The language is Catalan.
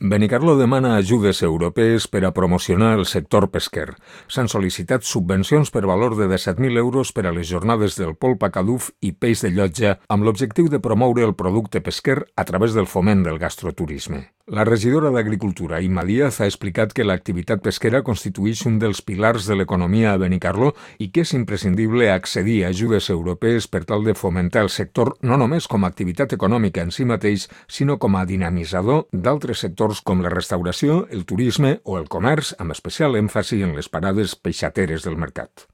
Benicarló demana ajudes europees per a promocionar el sector pesquer. S'han sol·licitat subvencions per valor de 17.000 euros per a les jornades del polp a Caduf i peix de llotja amb l'objectiu de promoure el producte pesquer a través del foment del gastroturisme. La regidora d'Agricultura, Imma Díaz, ha explicat que l'activitat pesquera constitueix un dels pilars de l'economia a Benicarló i que és imprescindible accedir a ajudes europees per tal de fomentar el sector no només com a activitat econòmica en si mateix, sinó com a dinamitzador d'altres sectors com la restauració, el turisme o el comerç, amb especial èmfasi en les parades peixateres del mercat.